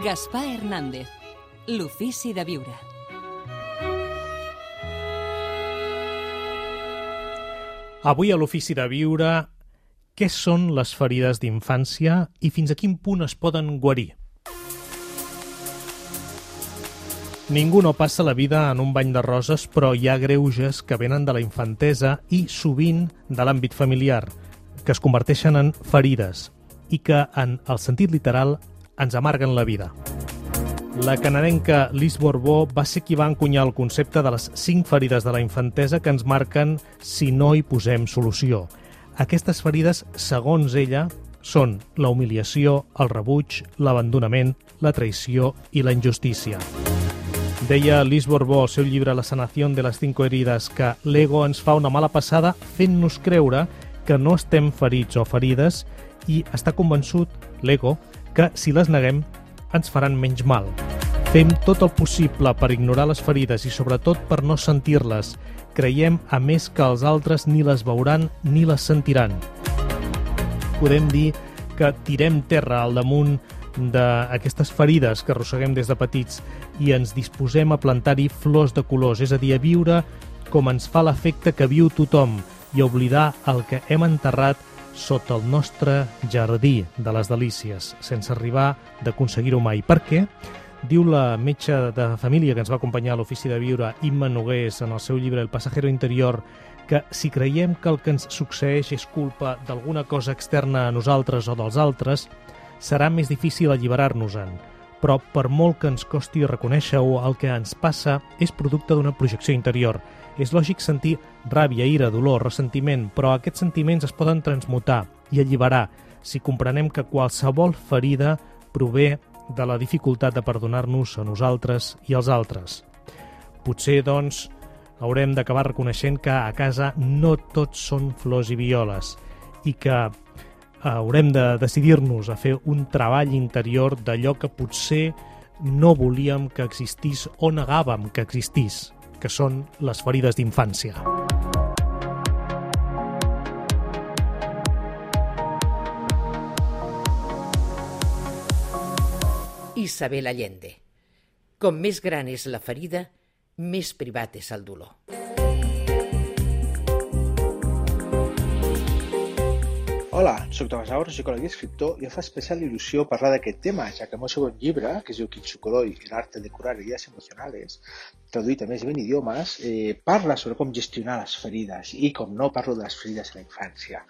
Gaspar Hernández, l'ofici de viure. Avui a l'ofici de viure, què són les ferides d'infància i fins a quin punt es poden guarir? Ningú no passa la vida en un bany de roses, però hi ha greuges que venen de la infantesa i sovint de l'àmbit familiar, que es converteixen en ferides i que, en el sentit literal, ens amarguen la vida. La canadenca Lise Bourbeau va ser qui va encunyar el concepte de les 5 ferides de la infantesa que ens marquen si no hi posem solució. Aquestes ferides, segons ella, són la humiliació, el rebuig, l'abandonament, la traïció i la injustícia. Deia Lise Bourbeau al seu llibre La sanación de las 5 heridas que l'ego ens fa una mala passada fent-nos creure que no estem ferits o ferides i està convençut, l'ego, que si les neguem ens faran menys mal. Fem tot el possible per ignorar les ferides i sobretot per no sentir-les. Creiem, a més, que els altres ni les veuran ni les sentiran. Podem dir que tirem terra al damunt d'aquestes ferides que arrosseguem des de petits i ens disposem a plantar-hi flors de colors, és a dir, a viure com ens fa l'efecte que viu tothom i a oblidar el que hem enterrat sota el nostre jardí de les delícies, sense arribar d'aconseguir-ho mai. Per què? Diu la metge de família que ens va acompanyar a l'ofici de viure, Imma Nogués, en el seu llibre El pasajero interior, que si creiem que el que ens succeeix és culpa d'alguna cosa externa a nosaltres o dels altres, serà més difícil alliberar-nos-en. Però per molt que ens costi reconèixer-ho, el que ens passa és producte d'una projecció interior. És lògic sentir ràbia, ira, dolor, ressentiment, però aquests sentiments es poden transmutar i alliberar si comprenem que qualsevol ferida prové de la dificultat de perdonar-nos a nosaltres i als altres. Potser, doncs, haurem d'acabar reconeixent que a casa no tots són flors i violes i que haurem de decidir-nos a fer un treball interior d'allò que potser no volíem que existís o negàvem que existís, que són les ferides d'infància. Isabel Allende. Com més gran és la ferida, més privat és el dolor. Hola, soc Tomàs Aura, psicòleg i escriptor, i em fa especial il·lusió parlar d'aquest tema, ja que el meu segon llibre, que es diu Kintsukuroi, el arte de curar heridas emocionales, traduït a més de 20 idiomes, parla sobre com gestionar les ferides i, com no, parlo de les ferides a la infància.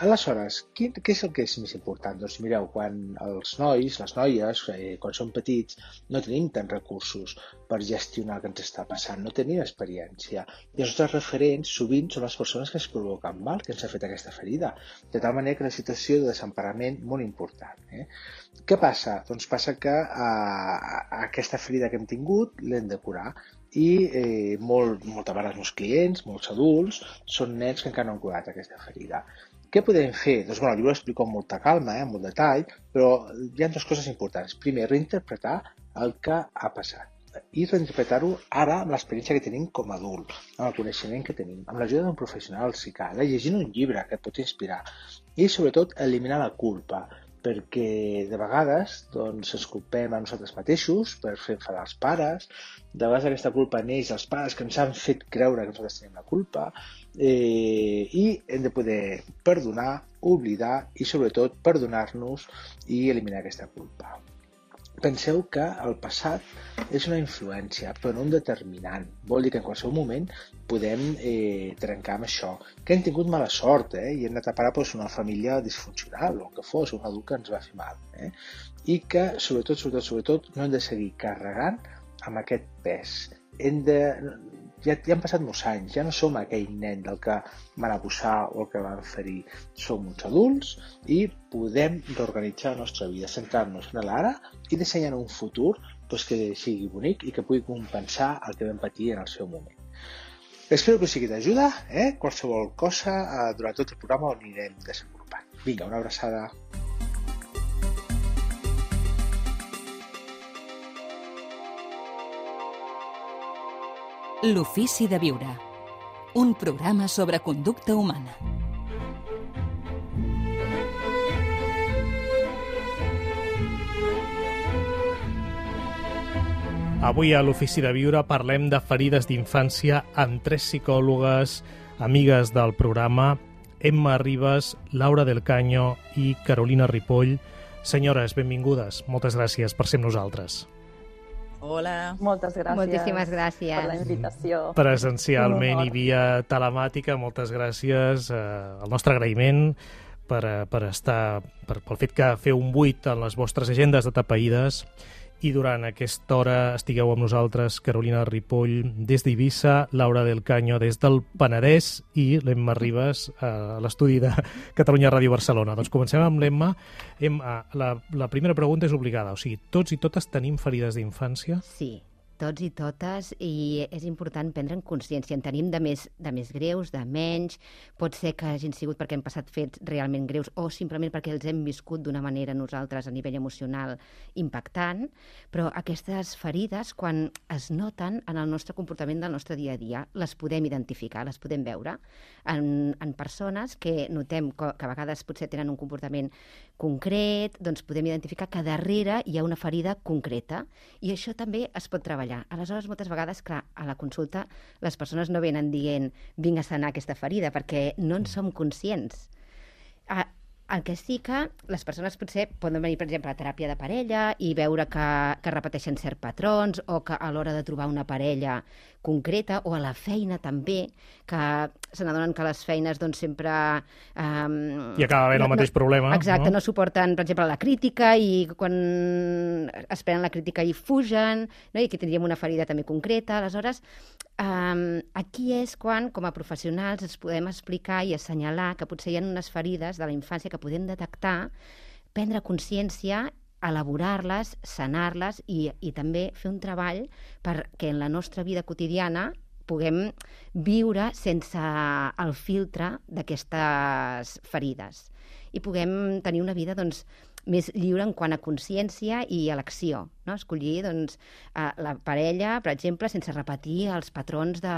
Aleshores, què és el que és més important? Doncs mireu, quan els nois, les noies, quan són petits, no tenim tants recursos per gestionar el que ens està passant, no tenim experiència. I els nostres referents sovint són les persones que ens provoquen mal, que ens ha fet aquesta ferida. De tal manera que és una situació de desemparament molt important. Què passa? Doncs passa que aquesta ferida que hem tingut l'hem de curar. I moltes vegades els clients, molts adults, són nens que encara no han curat aquesta ferida. Què podem fer? Doncs el llibre ho explico amb molta calma, amb molt detall, però hi ha 2 coses importants. Primer, reinterpretar el que ha passat i reinterpretar-ho ara amb l'experiència que tenim com a adult, amb el coneixement que tenim, amb l'ajuda d'un professional, si cal, llegint un llibre que et pot inspirar i, sobretot, eliminar la culpa, perquè de vegades ens culpem a nosaltres mateixos per fer enfadar els pares, de vegades aquesta culpa neix dels pares que ens han fet creure que nosaltres tenim la culpa i hem de poder perdonar, oblidar i sobretot perdonar-nos i eliminar aquesta culpa. Penseu que el passat és una influència, però no un determinant. Vol dir que en qualsevol moment podem trencar amb això. Que hem tingut mala sort i hem anat a parar una família disfuncional o que fos un adult que ens va fer mal. I que, sobretot, no hem de seguir carregant amb aquest pes. Ja han passat molts anys, ja no som aquell nen del que van abusar o el que van ferir. Som uns adults i podem reorganitzar la nostra vida, centrar-nos en l'ara i dissenyar un futur que sigui bonic i que pugui compensar el que vam patir en el seu moment. Espero que us sigui d'ajuda, qualsevol cosa durant tot el programa ho anirem desenvolupant. Vinga, una abraçada. L'ofici de viure. Un programa sobre conducta humana. Avui a l'Ofici de Viure parlem de ferides d'infància amb 3 psicòlogues, amigues del programa, Emma Ribas, Laura del Caño i Carolina Ripoll. Senyores, benvingudes. Moltes gràcies per ser amb nosaltres. Hola. Moltes gràcies. Moltíssimes gràcies. Per la invitació. Presencialment i via telemàtica, moltes gràcies. El nostre agraïment pel fet que feu un buit en les vostres agendes atapeïdes i durant aquesta hora estigueu amb nosaltres Carolina Ripoll des d'Eivissa, Laura del Caño des del Penedès i l'Emma Ribas a l'estudi de Catalunya Ràdio Barcelona. Doncs comencem amb l'Emma. Emma, la primera pregunta és obligada. O sigui, tots i totes tenim ferides d'infància? Sí, tots i totes, i és important prendre en consciència. En tenim de més greus, de menys, pot ser que hagin sigut perquè hem passat fets realment greus o simplement perquè els hem viscut d'una manera nosaltres a nivell emocional impactant, però aquestes ferides, quan es noten en el nostre comportament del nostre dia a dia, les podem identificar, les podem veure en persones que notem que a vegades potser tenen un comportament concret, doncs podem identificar que darrere hi ha una ferida concreta i això també es pot treballar. Aleshores, moltes vegades, clar, a la consulta les persones no venen dient vinc a sanar aquesta ferida, perquè no en som conscients. El que sí que les persones potser poden venir, per exemple, a teràpia de parella i veure que repeteixen certs patrons o que a l'hora de trobar una parella concreta o a la feina també, que se n'adonen que les feines doncs sempre... I acaba havent el mateix problema. Exacte, no suporten, per exemple, la crítica i quan es prenen la crítica i fugen, no? I aquí tindríem una ferida també concreta. Aleshores, aquí és quan, com a professionals, ens podem explicar i assenyalar que potser hi ha unes ferides de la infància que podem detectar, prendre consciència, elaborar-les, sanar-les i també fer un treball perquè en la nostra vida quotidiana puguem viure sense el filtre d'aquestes ferides i puguem tenir una vida doncs, més lliure en quant a consciència i elecció, no? Escollir doncs, la parella, per exemple, sense repetir els patrons de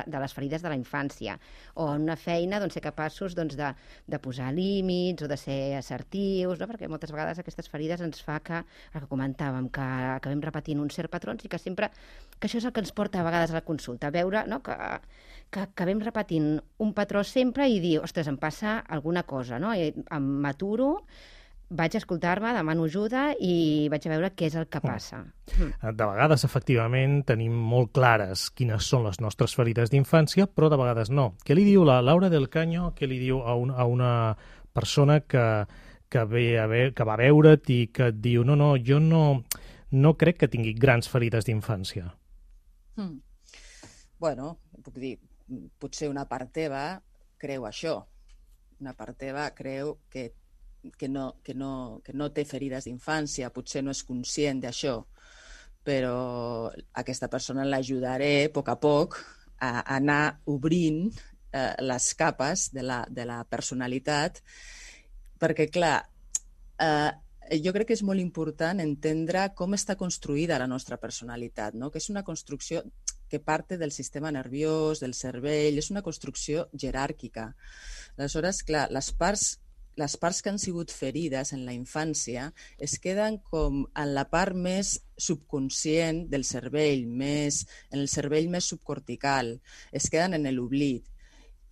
les ferides de la infància, o en una feina doncs, ser capaços doncs, de posar límits o de ser assertius, no? Perquè moltes vegades aquestes ferides ens fa que, el que comentàvem, que acabem repetint uns certs patrons i que això és el que ens porta a vegades a la consulta, a veure, no? que acabem repetint un patró sempre i dir, ostres, em passa alguna cosa, no? I m'aturo, vaig a escoltar-me, demano ajuda i vaig a veure què és el que passa. De vegades, efectivament, tenim molt clares quines són les nostres ferides d'infància, però de vegades no. Què li diu la Laura del Caño, què li diu a una persona que va veure't i que et diu jo no crec que tingui grans ferides d'infància? Bueno, puc dir, potser una part teva creu això. Una part teva creu que no té ferides d'infància, potser no és conscient d'això, però aquesta persona l'ajudaré a poc a anar obrint les capes de la personalitat, perquè, clar, jo crec que és molt important entendre com està construïda la nostra personalitat, no? Que és una construcció que parte del sistema nerviós, del cervell, és una construcció jeràrquica. Aleshores, clar, les parts que han sigut ferides en la infància es queden com en la part més subconscient del cervell, en el cervell més subcortical, es queden en l'oblit.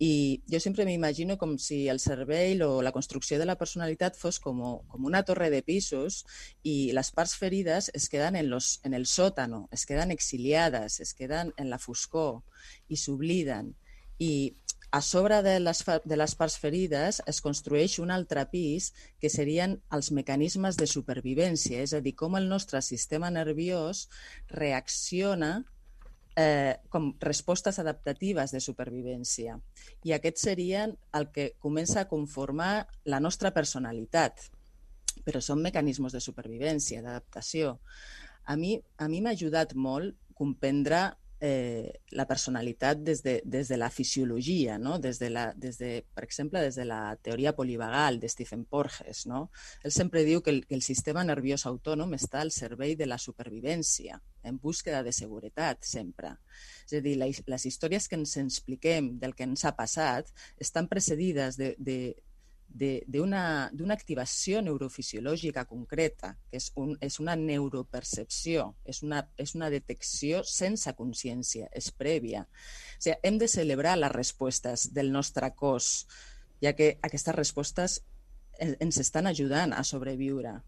I jo sempre m'imagino com si el cervell o la construcció de la personalitat fos com una torre de pisos i les parts ferides es queden en el sòtano, es queden exiliades, es queden en la foscor i s'obliden. I a sobre de les parts ferides es construeix un altre pis que serien els mecanismes de supervivència, és a dir, com el nostre sistema nerviós reacciona com respostes adaptatives de supervivència. I aquests serien el que comença a conformar la nostra personalitat, però són mecanismes de supervivència, d'adaptació. A mi m'ha ajudat molt comprendre la personalitat des de la fisiologia, no? Per exemple, des de la teoria polivagal de Stephen Porges. No? Ell sempre diu que el sistema nerviós autònom està al servei de la supervivència, en búsqueda de seguretat, sempre. És a dir, les històries que ens expliquem del que ens ha passat estan precedides d'una activació neurofisiològica concreta, que és una neuropercepció, és una detecció sense consciència, és prèvia. O sigui, hem de celebrar les respostes del nostre cos, ja que aquestes respostes ens estan ajudant a sobreviure.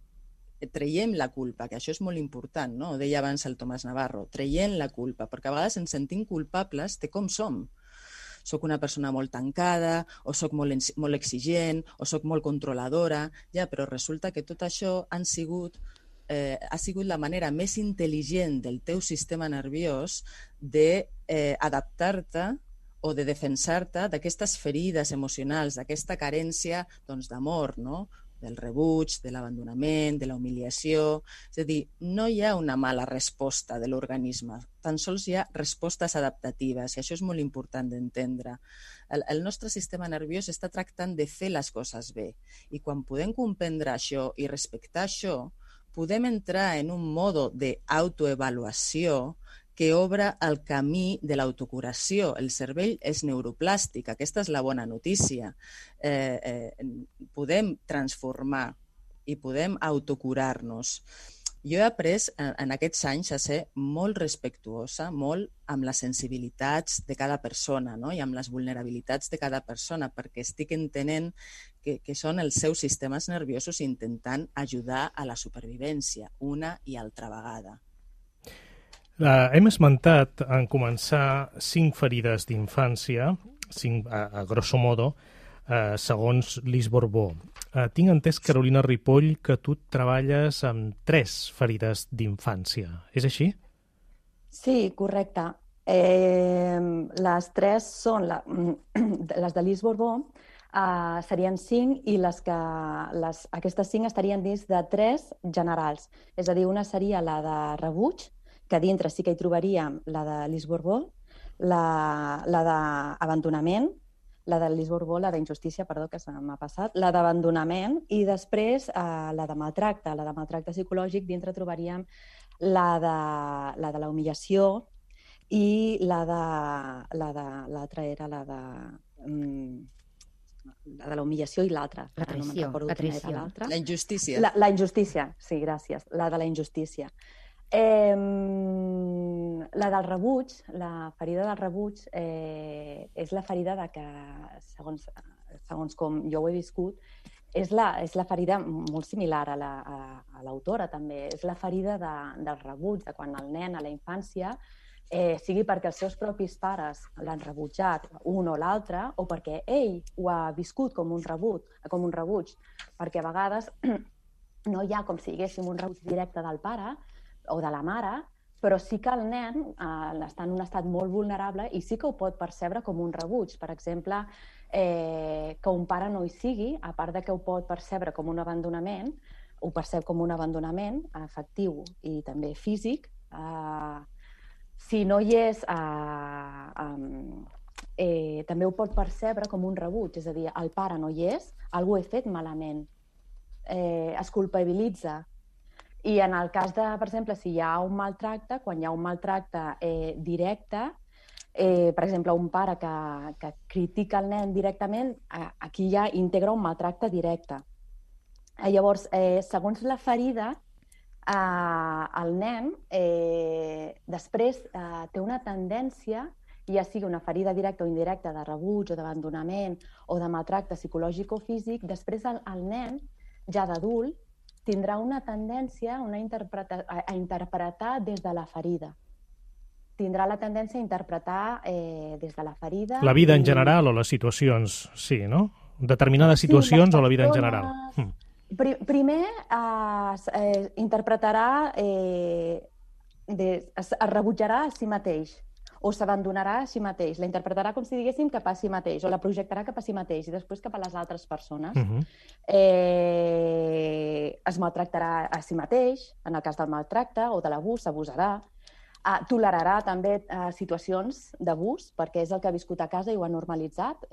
Traiem la culpa, que això és molt important, no? Ho deia abans el Tomàs Navarro, traient la culpa, perquè a vegades ens sentim culpables de com som. Soc una persona molt tancada, o soc molt exigent, o soc molt controladora, ja, però resulta que tot això ha sigut la manera més intel·ligent del teu sistema nerviós d'adaptar-te o de defensar-te d'aquestes ferides emocionals, d'aquesta carència d'amor, no? Del rebuig, de l'abandonament, de la humiliació. És a dir, no hi ha una mala resposta de l'organisme, tan sols hi ha respostes adaptatives, i això és molt important d'entendre. El nostre sistema nerviós està tractant de fer les coses bé, i quan podem comprendre això i respectar això, podem entrar en un mode d'autoavaluació que obre el camí de l'autocuració. El cervell és neuroplàstic, aquesta és la bona notícia. Podem transformar i podem autocurar-nos. Jo he après en aquests anys a ser molt respectuosa, molt amb les sensibilitats de cada persona, no? I amb les vulnerabilitats de cada persona, perquè estic entenent que són els seus sistemes nerviosos intentant ajudar a la supervivència una i altra vegada. Hem esmentat en començar 5 ferides d'infància, 5 a grosso modo, segons Lise Bourbeau. Tinc entès, Carolina Ripoll, que tu treballes amb 3 ferides d'infància. És així? Sí, correcte. Les 3 són les de Lise Bourbeau, serien 5 i aquestes 5 estarien dins de 3 generals. És a dir, una seria la de rebuig, que dintre sí que hi trobaríem la de Lise Bourbeau, la d'abandonament, la de Lise Bourbeau, la d'injustícia, perdó, que se m'ha passat, la d'abandonament, i després la de maltracte. La de maltracte psicològic, dintre trobaríem la de la humillació i l'altra era la de la humillació i l'altra. La traïció. La injustícia. La injustícia, sí, gràcies. La de la injustícia. La del rebuig, la ferida del rebuig, és la ferida de que, segons com jo ho he viscut, és la ferida molt similar a l'autora també. És la ferida del rebuig, de quan el nen a la infància, sigui perquè els seus propis pares l'han rebutjat, un o l'altre, o perquè ell ho ha viscut com un rebuig, perquè a vegades no hi ha com si haguéssim un rebuig directe del pare o de la mare, però sí que el nen està en un estat molt vulnerable i sí que ho pot percebre com un rebuig. Per exemple, que un pare no hi sigui, a part de que ho pot percebre com un abandonament, ho percep com un abandonament afectiu i també físic. Si no hi és, també ho pot percebre com un rebuig, és a dir, el pare no hi és, algú he fet malament, es culpabilitza. I en el cas de, per exemple, si hi ha un maltracte, quan hi ha un maltracte directe, per exemple, un pare que critica el nen directament, aquí ja integra un maltracte directe. Llavors, segons la ferida, el nen després té una tendència, ja sigui una ferida directa o indirecta de rebuig o d'abandonament o de maltracte psicològic o físic, després el nen, ja d'adult, tindrà una tendència a interpretar des de la ferida. Tindrà la tendència a interpretar des de la ferida... La vida en general o les situacions, sí, no? Determinades situacions o la vida en general. Primer interpretarà, es rebutjarà a si mateix o s'abandonarà a si mateix. La interpretarà com si diguéssim cap a si mateix o la projectarà cap a si mateix i després cap a les altres persones. Es maltractarà a si mateix, en el cas del maltracte o de l'abús, s'abusarà. Tolerarà també situacions d'abús perquè és el que ha viscut a casa i ho ha normalitzat.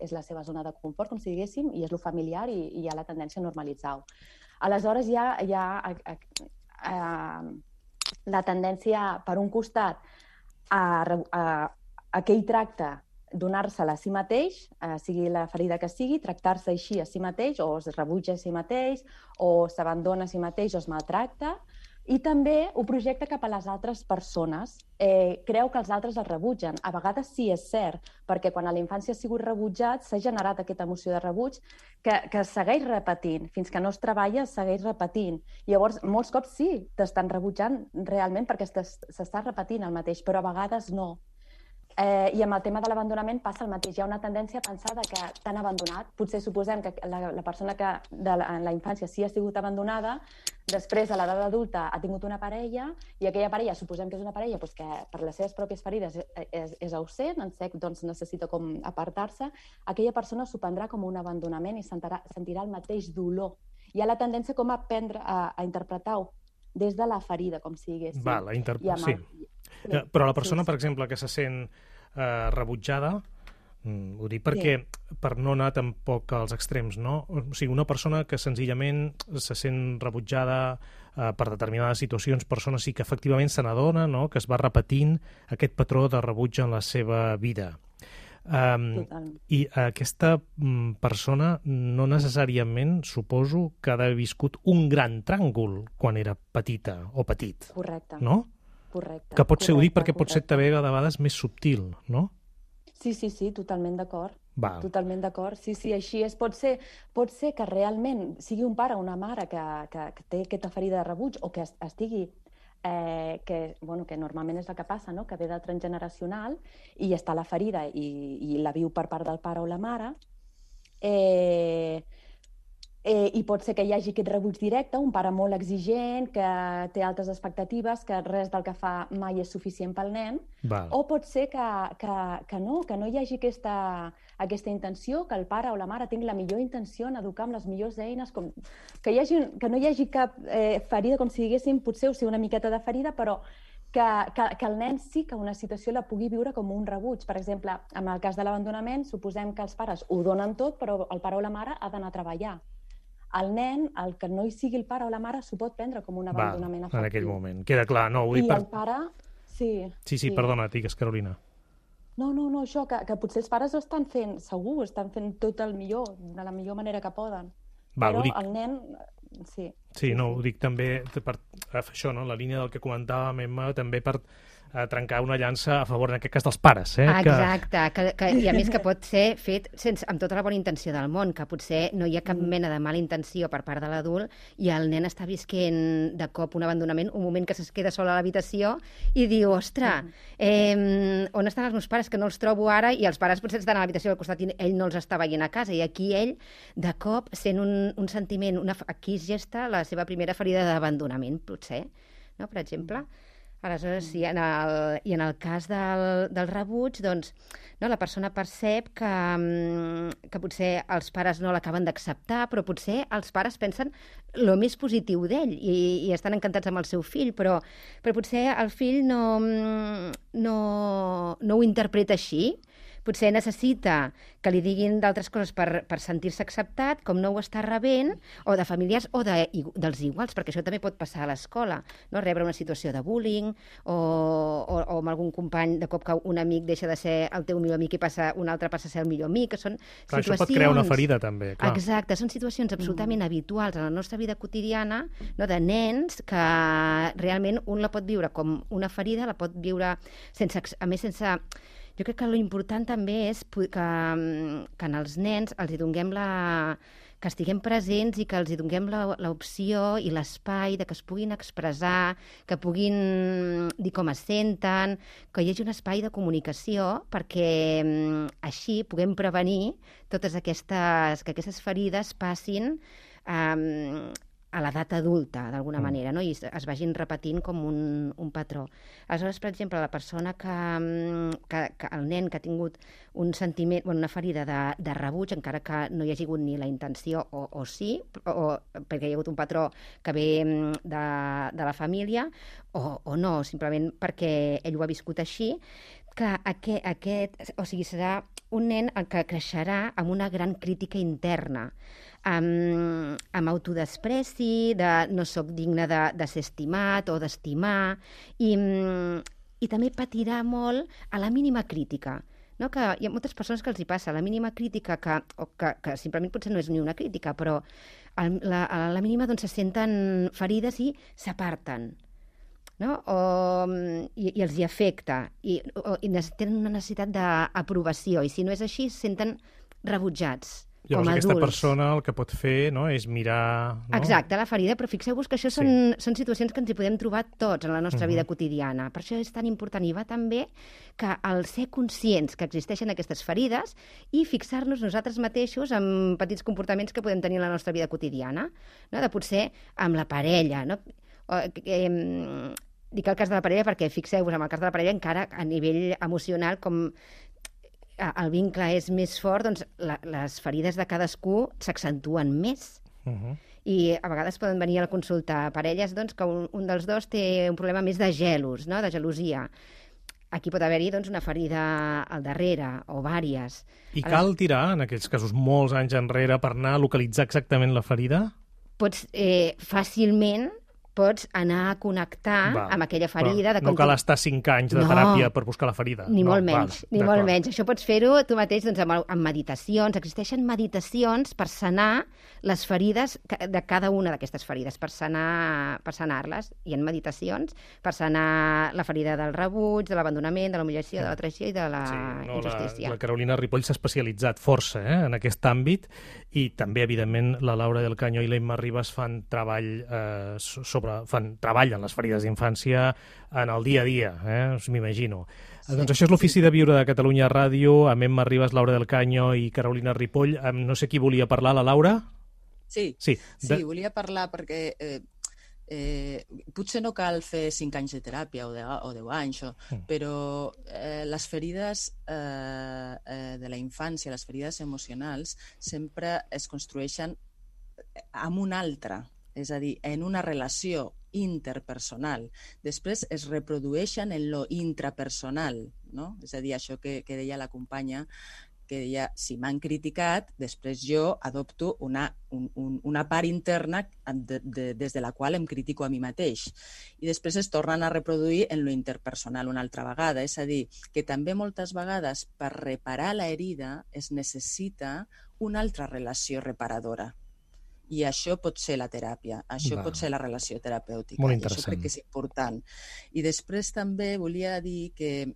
És la seva zona de confort, com si diguéssim, i és lo familiar i hi ha la tendència a normalitzar-ho. Aleshores hi ha la tendència, per un costat, a aquell tracte donar-se-la a si mateix, sigui la ferida que sigui, tractar-se així a si mateix, o es rebutja a si mateix, o s'abandona a si mateix, o es maltracta, i també ho projecta cap a les altres persones. Creu que els altres el rebutgen. A vegades sí, és cert, perquè quan a la infància ha sigut rebutjat s'ha generat aquesta emoció de rebuig que segueix repetint. Fins que no es treballa, segueix repetint. Llavors, molts cops sí, t'estan rebutjant realment perquè s'està repetint el mateix, però a vegades no. I amb el tema de l'abandonament passa el mateix. Hi ha una tendència a pensar que t'han abandonat. Potser suposem que la persona que en la infància sí ha sigut abandonada, després, a l'edat adulta, ha tingut una parella, i aquella parella, suposem que és una parella que per les seves pròpies ferides és ausent, en sec, doncs necessita com apartar-se, aquella persona s'ho prendrà com un abandonament i sentirà el mateix dolor. Hi ha la tendència com a aprendre a interpretar-ho des de la ferida, com si diguéssim. Sí. Però la persona, per exemple, que se sent rebutjada, ho dic perquè per no anar tampoc als extrems, no? O sigui, una persona que senzillament se sent rebutjada per determinades situacions, persona sí que efectivament se n'adona, no?, que es va repetint aquest patró de rebuig en la seva vida. I aquesta persona no necessàriament, suposo, que ha d'haver viscut un gran tràngol quan era petita o petit. Correcte. No? Correcte. Que pot ser, ho dic perquè pot ser també a vegades més subtil, no? Sí, totalment d'acord. Val. Totalment d'acord. Sí, així és. Pot ser que realment sigui un pare o una mare que té aquesta ferida de rebuig o que estigui que normalment és el que passa, no? Que ve de transgeneracional i està la ferida i la viu per part del pare o la mare. I pot ser que hi hagi aquest rebuig directe, un pare molt exigent, que té altes expectatives, que res del que fa mai és suficient pel nen. Val. O pot ser que no hi hagi aquesta intenció, que el pare o la mare tingui la millor intenció en educar amb les millors eines, que no hi hagi cap ferida, com si diguéssim, potser o sigui una miqueta de ferida, però que el nen sí que una situació la pugui viure com un rebuig. Per exemple, en el cas de l'abandonament, suposem que els pares ho donen tot, però el pare o la mare ha d'anar a treballar. El nen, el que no hi sigui el pare o la mare, s'ho pot prendre com un abandonament afectiu. En aquell moment. Queda clar. No, ho dic I el pare... Sí, perdona, digues, Carolina. No, això, que potser els pares ho estan fent, segur, estan fent tot el millor, de la millor manera que poden. Però el nen... Sí, ho dic també per això, no? La línia del que comentàvem, Emma, també per trencar una llança a favor, en aquest cas, dels pares. Exacte, i a més que pot ser fet amb tota la bona intenció del món, que potser no hi ha cap mena de mala intenció per part de l'adult i el nen està visquent de cop un abandonament, un moment que es queda sol a l'habitació i diu, ostres, on estan els meus pares, que no els trobo ara, i els pares potser estan a l'habitació al costat i ell no els està veient a casa, i aquí ell, de cop, sent un sentiment, aquí es gesta la seva primera ferida d'abandonament, potser, no? Per exemple. Aleshores, i en el cas del rebuig, doncs, no, la persona percep que potser els pares no l'acaben d'acceptar, però potser els pares pensen el més positiu d'ell i estan encantats amb el seu fill, però potser el fill no ho interpreta així. Potser necessita que li diguin d'altres coses per sentir-se acceptat, com no ho està rebent, o de familiars o dels iguals, perquè això també pot passar a l'escola, no? Rebre una situació de bullying o amb algun company, de cop que un amic deixa de ser el teu millor amic i un altre passa a ser el millor amic, que són situacions... Això pot crear una ferida, també, clar. Exacte, són situacions absolutament habituals en la nostra vida quotidiana, no? De nens que realment un la pot viure com una ferida, la pot viure sense... Jo crec que l'important també és que en els nens els hi donem que estiguem presents i que els hi donem l'opció i l'espai de que es puguin expressar, que puguin dir com es senten, que hi hagi un espai de comunicació perquè així puguem prevenir que aquestes ferides passin a l'edat adulta, d'alguna manera, no? I es vagin repetint com un patró. Aleshores, per exemple, la persona el nen que ha tingut un sentiment, una ferida de rebuig, encara que no hi hagi hagut ni la intenció, o sí, perquè hi ha hagut un patró que ve de la família, o no, simplement perquè ell ho ha viscut així, que serà un nen que creixerà amb una gran crítica interna, amb autodespreci, de no soc digne de ser estimat o d'estimar, i també patirà molt a la mínima crítica. no? Que hi ha moltes persones que els hi passa la mínima crítica, que simplement potser no és ni una crítica, però a la mínima doncs, se senten ferides i s'aparten, no? I els hi afecta, i tenen una necessitat d'aprovació, i si no és així, se senten rebutjats. Llavors aquesta persona el que pot fer, no, és mirar... No? Exacte, la ferida, però fixeu-vos que això són situacions que ens hi podem trobar tots en la nostra vida quotidiana. Per això és tan important i va també que el ser conscients que existeixen aquestes ferides i fixar-nos nosaltres mateixos en petits comportaments que podem tenir en la nostra vida quotidiana, no? De potser amb la parella, no? Dic el cas de la parella perquè fixeu-vos, en el cas de la parella encara a nivell emocional, com el vincle és més fort, doncs les ferides de cadascú s'accentuen més. I a vegades poden venir a la consulta parelles doncs, que un dels dos té un problema més de gelos, no? De gelosia. Aquí pot haver-hi doncs, una ferida al darrere, o vàries. I cal tirar, en aquells casos, molts anys enrere per anar a localitzar exactament la ferida? Pots fàcilment pots anar a connectar amb aquella ferida. No cal estar 5 anys de teràpia per buscar la ferida. Ni molt menys. Això pots fer-ho tu mateix doncs, amb meditacions. Existeixen meditacions per sanar les ferides de cada una d'aquestes ferides, per sanar-les. Hi ha meditacions per sanar la ferida del rebuig, de l'abandonament, de l'humiliació, de la traïció i de la injustícia. La Carolina Ripoll s'ha especialitzat força en aquest àmbit i també, evidentment, la Laura del Caño i la Imma Ribas fan treball treballen les ferides d'infància en el dia a dia, m'imagino. Doncs això és l'Ofici de Viure de Catalunya Ràdio, amb Emma Ribas, Laura del Caño i Carolina Ripoll. No sé qui volia parlar, la Laura? Sí, volia parlar perquè potser no cal fer 5 anys de teràpia o 10 anys, però les ferides de la infància, les ferides emocionals, sempre es construeixen amb un altre, és a dir, en una relació interpersonal. Després es reprodueixen en lo intrapersonal, no? És a dir, això que deia la companya, que deia, si m'han criticat, després jo adopto una part interna des de la qual em critico a mi mateix. I després es tornen a reproduir en lo interpersonal una altra vegada. És a dir, que també moltes vegades per reparar la herida es necessita una altra relació reparadora. I això pot ser la teràpia, això pot ser la relació terapèutica. Molt interessant. Això crec que és important. I després també volia dir que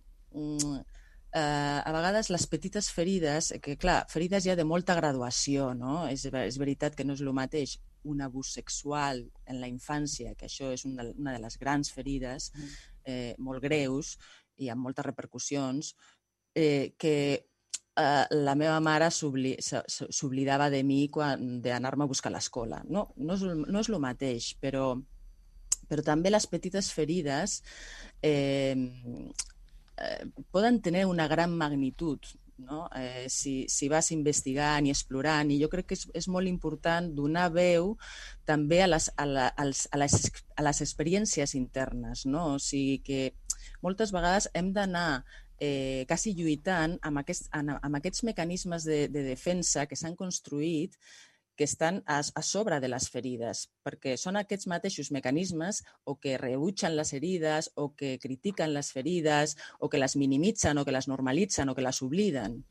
a vegades les petites ferides, que clar, ferides ja de molta graduació, no? És veritat que no és el mateix un abús sexual en la infància, que això és una de les grans ferides, molt greus i amb moltes repercussions, que la meva mare s'oblidava de mi d'anar-me a buscar a l'escola. No és el mateix, però també les petites ferides poden tenir una gran magnitud, no? Si vas investigant i explorant, i jo crec que és molt important donar veu també a les experiències internes, no? O sigui que moltes vegades hem d'anar quasi lluitant amb aquests mecanismes de defensa que s'han construït, que estan a sobre de les ferides, perquè són aquests mateixos mecanismes o que rebutgen les ferides, o que critiquen les ferides, o que les minimitzen, o que les normalitzen, o que les obliden.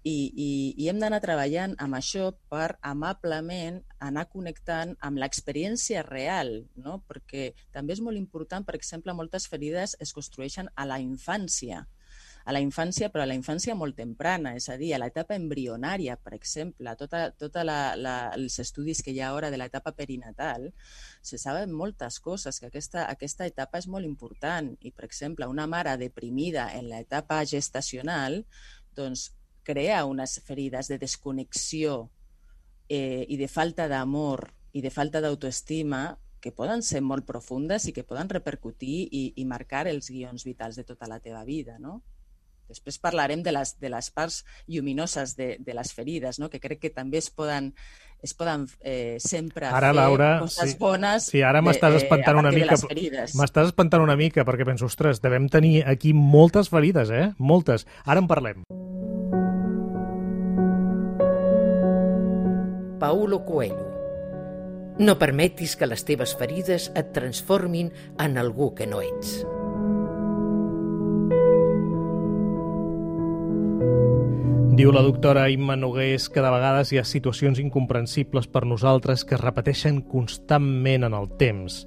I hem d'anar treballant amb això per amablement anar connectant amb l'experiència real, no? Perquè també és molt important, per exemple, moltes ferides es construeixen a la infància, però a la infància molt temprana, és a dir, a l'etapa embrionària, per exemple. Tots els estudis que hi ha ara de l'etapa perinatal, se saben moltes coses, que aquesta etapa és molt important. I, per exemple, una mare deprimida en l'etapa gestacional, doncs, crea unes ferides de desconnexió i de falta d'amor i de falta d'autoestima que poden ser molt profundes i que poden repercutir i marcar els guions vitals de tota la teva vida, no? Després parlarem de les parts lluminoses de les ferides, no? Que crec que també es poden sempre ara, fer Laura, coses bones. Sí, ara m'estàs espantant una mica. M'estàs espantant una mica perquè penso, ostres, devem tenir aquí moltes ferides, moltes. Ara en parlem. Paulo Coelho. No permetis que les teves ferides et transformin en algú que no ets. Diu la doctora Imma Nogués que de vegades hi ha situacions incomprensibles per nosaltres que es repeteixen constantment en el temps,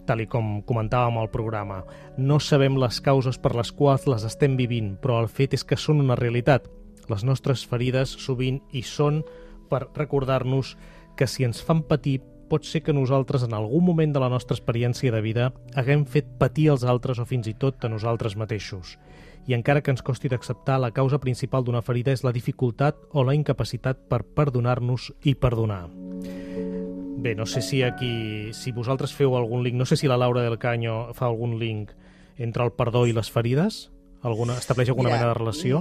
tal i com comentàvem al programa. No sabem les causes per les quals les estem vivint, però el fet és que són una realitat. Les nostres ferides sovint hi són per recordar-nos que si ens fan patir, pot ser que nosaltres en algun moment de la nostra experiència de vida haguem fet patir als altres o fins i tot a nosaltres mateixos. I encara que ens costi d'acceptar, la causa principal d'una ferida és la dificultat o la incapacitat per perdonar-nos i perdonar. Bé, no sé si vosaltres feu algun link, no sé si la Laura del Caño fa algun link entre el perdó i les ferides, estableix alguna mena de relació?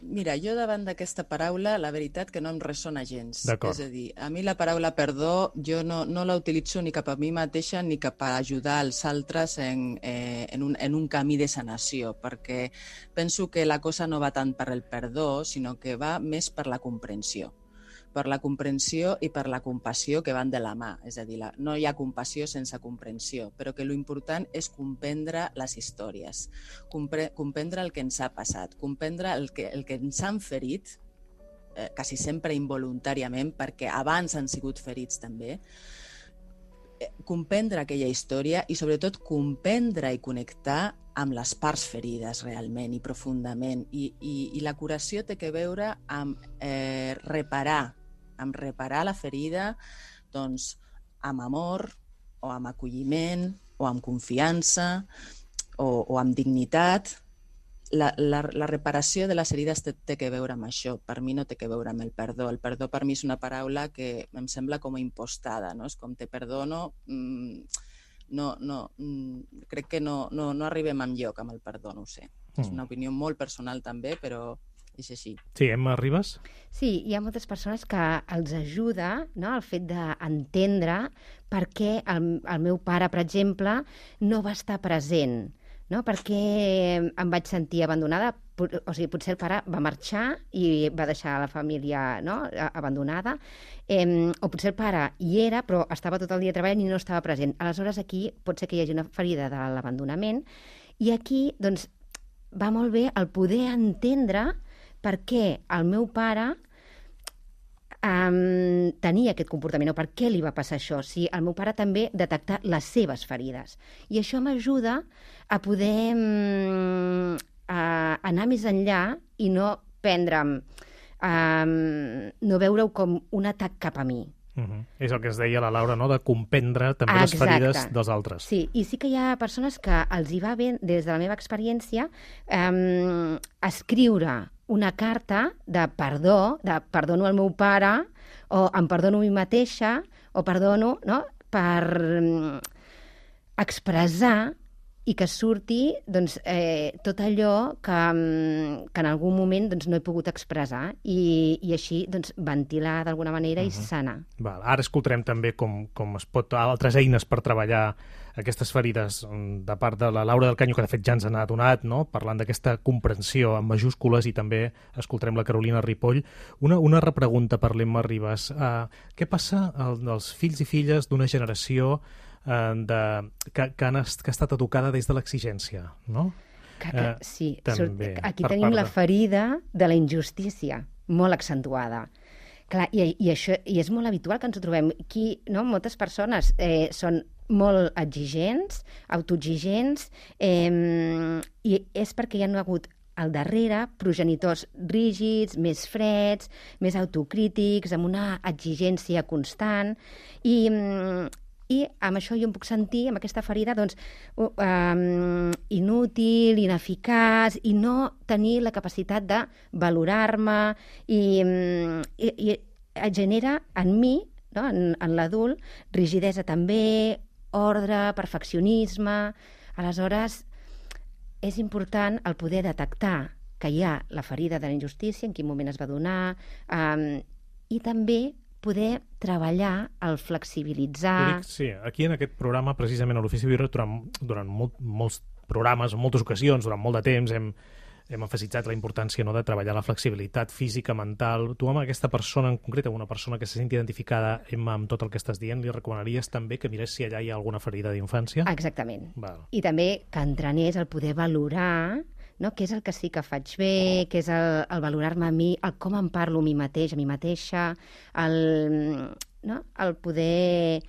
Mira, jo davant d'aquesta paraula, la veritat que no em ressona gens. D'acord. És a dir, a mi la paraula perdó jo no la utilitzo ni cap a mi mateixa ni cap a ajudar els altres en un camí de sanació, perquè penso que la cosa no va tant per el perdó, sinó que va més per la comprensió i per la compassió que van de la mà. És a dir, no hi ha compassió sense comprensió, però que l'important és comprendre les històries, comprendre el que ens ha passat, comprendre el que ens han ferit, quasi sempre involuntàriament, perquè abans han sigut ferits també, comprendre aquella història i sobretot comprendre i connectar amb les parts ferides realment i profundament. I la curació té que veure amb reparar la ferida, doncs, amb amor o amb acolliment o amb confiança o amb dignitat. La reparació de les ferides té que veure amb això. Per mi no té que veure amb el perdó. El perdó per mi és una paraula que em sembla com a impostada, no? És com te perdono. Crec que no arribem enlloc amb el perdó, no ho sé. És una opinió molt personal també, però és així. Sí, Emma Ribas? Sí, hi ha moltes persones que els ajuda, no?, el fet d'entendre per què el meu pare, per exemple, no va estar present, no? Per què em vaig sentir abandonada. O sigui, potser el pare va marxar i va deixar la família, no?, abandonada, o potser el pare hi era, però estava tot el dia treballant i no estava present. Aleshores, aquí pot ser que hi hagi una ferida de l'abandonament, i aquí, doncs, va molt bé el poder entendre per què el meu pare tenia aquest comportament, o per què li va passar això, si el meu pare també detectar les seves ferides. I això m'ajuda a poder anar més enllà i no prendre'm, no veure-ho com un atac cap a mi. És el que es deia la Laura, no?, de comprendre també les ferides dels altres. Sí, i sí que hi ha persones que els hi va bé, des de la meva experiència, escriure una carta de perdó, de perdono al meu pare, o em perdono a mi mateixa, o perdono, no?, per expressar i que surti, doncs, tot allò que en algun moment, doncs, no he pogut expressar, i així, doncs, ventilar d'alguna manera i sanar. Ara escoltarem també com es pot, altres eines per treballar aquestes ferides de part de la Laura del Caño, que de fet ja ens n'ha donat, no?, parlant d'aquesta comprensió en majúscules, i també escoltarem la Carolina Ripoll. Una repregunta per l'Emma Ribas. Què passa als fills i filles d'una generació que ha estat educada des de l'exigència, no? Sí, també, aquí tenim la ferida de la injustícia, molt accentuada. Clar, i és molt habitual que ens ho trobem. Aquí, no? Moltes persones són molt exigents, autoexigents, i és perquè hi ha hagut al darrere progenitors rígids, més freds, més autocrítics, amb una exigència constant, i amb això jo em puc sentir, amb aquesta ferida, doncs, inútil, ineficaç, i no tenir la capacitat de valorar-me, i genera en mi, no?, en l'adult, rigidesa també, ordre, perfeccionisme. Aleshores, és important el poder detectar que hi ha la ferida de la injustícia, en quin moment es va donar, i també poder treballar, el flexibilitzar... Sí, aquí en aquest programa, precisament a l'Ofici Birra, durant molts programes, en moltes ocasions, durant molt de temps, hem emfasitzat la importància, no?, de treballar la flexibilitat física, mental. Tu, amb aquesta persona en concret, una persona que se senti identificada amb tot el que estàs dient, li recomanaries també que mirés si allà hi ha alguna ferida d'infància? Exactament. I també que entrenés el poder valorar, no? Què és el que sí que faig bé, què és el valorar-me a mi, el com em parlo a mi mateix, a mi mateixa, el poder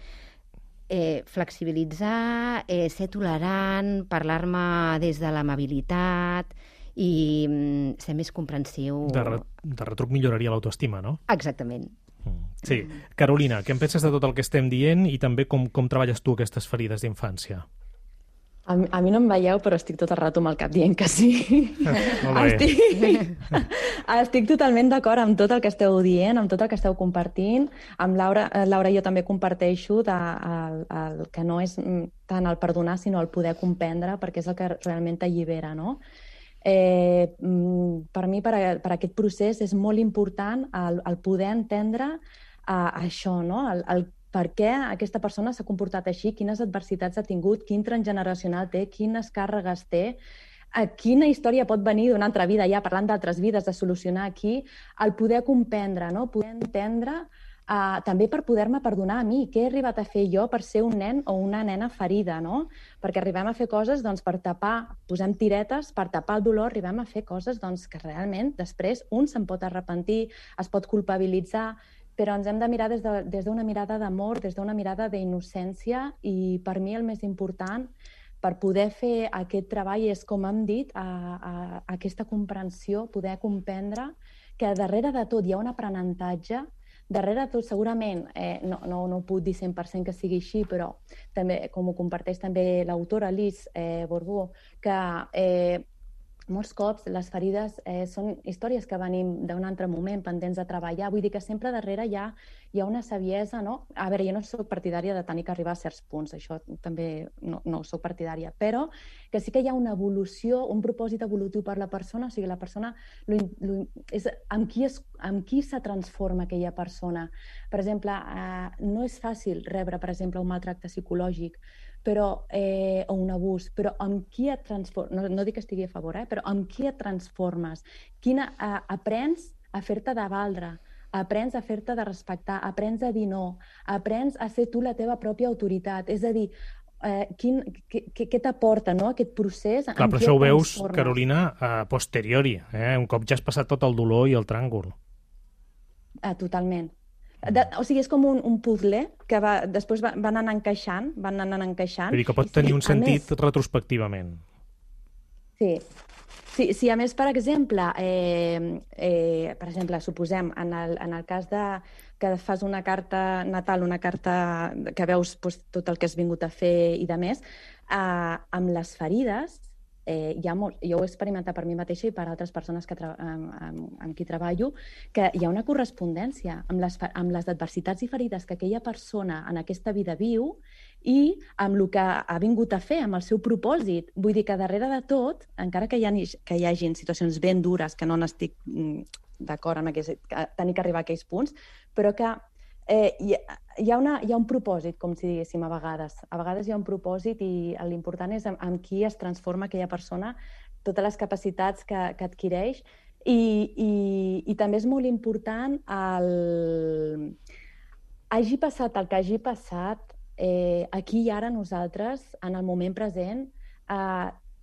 flexibilitzar, ser tolerant, parlar-me des de l'amabilitat i ser més comprensiu. De retruc milloraria l'autoestima, no? Exactament. Sí. Carolina, què en penses de tot el que estem dient i també com treballes tu aquestes ferides d'infància? A mi no em veieu, però estic tot el rato amb el cap dient que sí. Molt bé. Estic totalment d'acord amb tot el que esteu dient, amb tot el que esteu compartint. Amb Laura jo també comparteixo el que no és tant el perdonar, sinó el poder comprendre, perquè és el que realment t'allibera, no? Per mi, per aquest procés, és molt important el poder entendre això, no? El per què aquesta persona s'ha comportat així, quines adversitats ha tingut, quin transgeneracional té, quines càrregues té, quina història pot venir d'una altra vida, ja parlant d'altres vides, de solucionar aquí, el poder comprendre, no? Poder entendre també per poder-me perdonar a mi, què he arribat a fer jo per ser un nen o una nena ferida, no? Perquè arribem a fer coses per tapar, posem tiretes, per tapar el dolor, arribem a fer coses que realment després un se'n pot arrepentir, es pot culpabilitzar, però ens hem de mirar des d'una mirada d'amor, des d'una mirada d'innocència, i per mi el més important per poder fer aquest treball és, com hem dit, aquesta comprensió, poder comprendre que darrere de tot hi ha un aprenentatge, darrere de tot segurament, no ho puc dir 100% que sigui així, però també, com ho comparteix també l'autora Liz Borbó, que molts cops les ferides són històries que venim d'un altre moment, pendents de treballar. Vull dir que sempre darrere hi ha una saviesa, no? A veure, jo no soc partidària de tenir que arribar a certs punts, això també no soc partidària, però que sí que hi ha una evolució, un propòsit evolutiu per la persona, o sigui, la persona, amb qui se transforma aquella persona. Per exemple, no és fàcil rebre, per exemple, un maltracte psicològic, o un abús, però amb qui et transformes, no dic que estigui a favor, però amb qui et transformes, aprens a fer-te de valdre, aprens a fer-te de respectar, aprens a dir no, aprens a ser tu la teva pròpia autoritat, és a dir, què t'aporta, no, aquest procés? Clar, però això ho veus, Carolina, a posteriori, un cop ja has passat tot el dolor i el tràngol. Totalment. O sigui, és com un puzzle que després van anar encaixant. Vull dir que pot tenir un sentit retrospectivament. Sí. Sí, a més, per exemple, suposem, en el cas que fas una carta natal, una carta que veus tot el que has vingut a fer i de més, amb les ferides, jo ho he experimentat per mi mateixa i per altres persones amb qui treballo, que hi ha una correspondència amb les adversitats i ferides que aquella persona en aquesta vida viu i amb el que ha vingut a fer, amb el seu propòsit. Vull dir que darrere de tot, encara que hi hagin situacions ben dures, que no n'estic d'acord amb tenir que arribar a aquells punts, però que hi ha un propòsit, com si diguéssim, a vegades. A vegades hi ha un propòsit i l'important és amb qui es transforma aquella persona, totes les capacitats que adquireix, i també és molt important hagi passat el que hagi passat, aquí i ara nosaltres, en el moment present,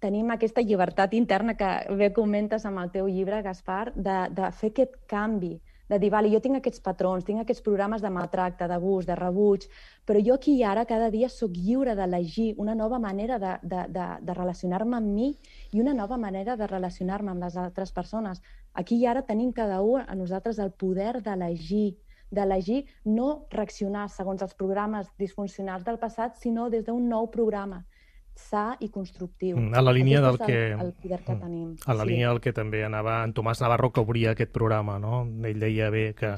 tenim aquesta llibertat interna que bé comentes amb el teu llibre, Gaspar, de fer aquest canvi, de dir, vale, jo tinc aquests patrons, tinc aquests programes de maltracte, d'abús, de rebuig, però jo aquí i ara cada dia sóc lliure d'elegir una nova manera de relacionar-me amb mi i una nova manera de relacionar-me amb les altres persones. Aquí i ara tenim cada un a nosaltres el poder d'elegir, no reaccionar segons els programes disfuncionals del passat, sinó des d'un nou programa sa i constructiu. A la línia del que... el poder que tenim. A la línia del que també anava en Tomàs Navarro, que obria aquest programa, no? Ell deia bé que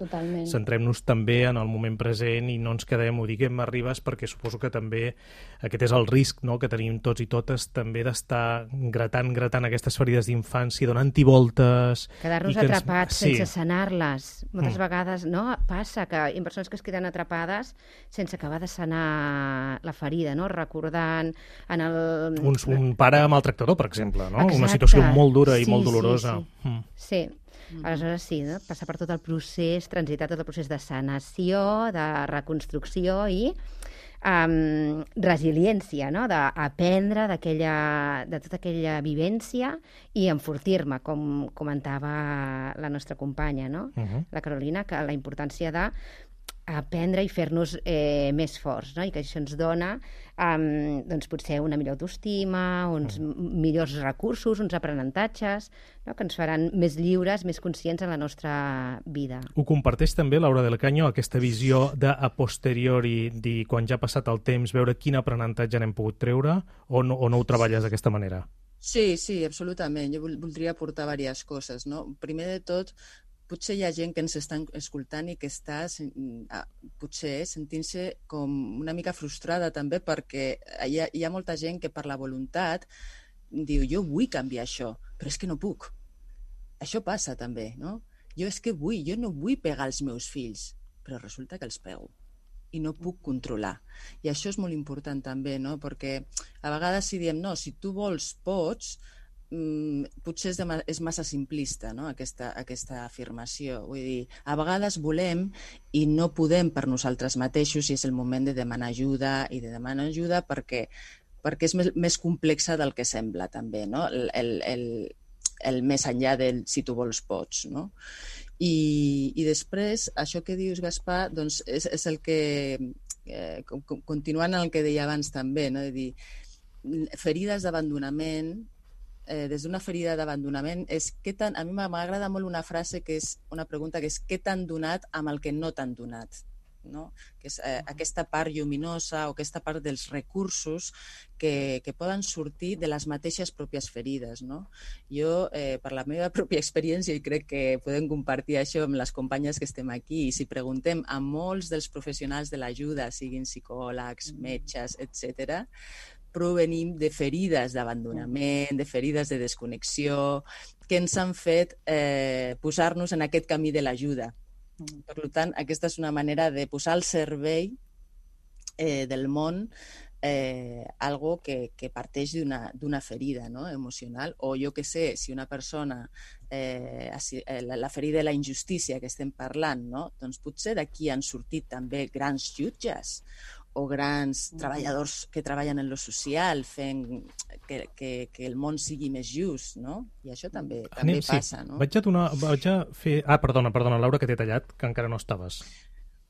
centrem-nos també en el moment present i no ens quedem, ho diguem, arribes, perquè suposo que també aquest és el risc, no?, que tenim tots i totes, també d'estar gratant aquestes ferides d'infància, donant-hi voltes... Quedar-nos atrapats sense sanar-les. Moltes vegades, no?, passa que hi ha persones que es queden atrapades sense acabar de sanar la ferida, no?, recordant un pare maltractador, per exemple, no? Exacte. Una situació molt dura i molt dolorosa. Sí. Aleshores sí, no? Passar per tot el procés, transitar tot el procés de sanació, de reconstrucció i resiliència, no? D'aprendre de tota aquella vivència i enfortir-me, com comentava la nostra companya, no? La Carolina, que la importància de aprendre i fer-nos més forts, no? I que això ens dona doncs potser una millor autoestima, uns millors recursos, uns aprenentatges, no? Que ens faran més lliures, més conscients en la nostra vida. Ho comparteix també Laura del Caño, aquesta visió de a posteriori, dir quan ja ha passat el temps, veure quin aprenentatge n'hem pogut treure, o no ho treballes d'aquesta manera? Sí, absolutament. Jo voldria aportar diverses coses, no? Primer de tot, potser hi ha gent que ens està escoltant i que està potser sentint-se com una mica frustrada també, perquè hi ha molta gent que per la voluntat diu jo vull canviar això, però és que no puc. Això passa també, no? Jo no vull pegar els meus fills, però resulta que els pego i no puc controlar. I això és molt important també, no? Perquè a vegades si diem no, si tu vols, pots, potser és massa simplista, no? aquesta afirmació. Vull dir, a vegades volem i no podem per nosaltres mateixos i és el moment de demanar ajuda perquè és més complexa del que sembla també, no? El més enllà del si tu vols pots, no? I després, això que dius, Gaspar, doncs és el que, continuant el que deia abans també, no? De dir, ferides d'abandonament, des d'una ferida d'abandonament, a mi m'agrada molt una frase que és una pregunta que és què t'han donat amb el que no t'han donat, no? Que és aquesta part lluminosa o aquesta part dels recursos que poden sortir de les mateixes pròpies ferides, no? Jo, per la meva pròpia experiència, i crec que podem compartir això amb les companyes que estem aquí, i si preguntem a molts dels professionals de l'ajuda, siguin psicòlegs, metges, etc., provenim de ferides d'abandonament, de ferides de desconnexió, que ens han fet posar-nos en aquest camí de l'ajuda. Per tant, aquesta és una manera de posar al servei del món algo que parteix d'una ferida, no? Emocional, o jo que sé, si una persona, la ferida de la injustícia que estem parlant, no? Doncs potser d'aquí han sortit també grans jutges o grans treballadors que treballen en lo social fent que el món sigui més just, no? I això també passa, no? Vaig a fer... Perdona, Laura, que t'he tallat, que encara no estaves.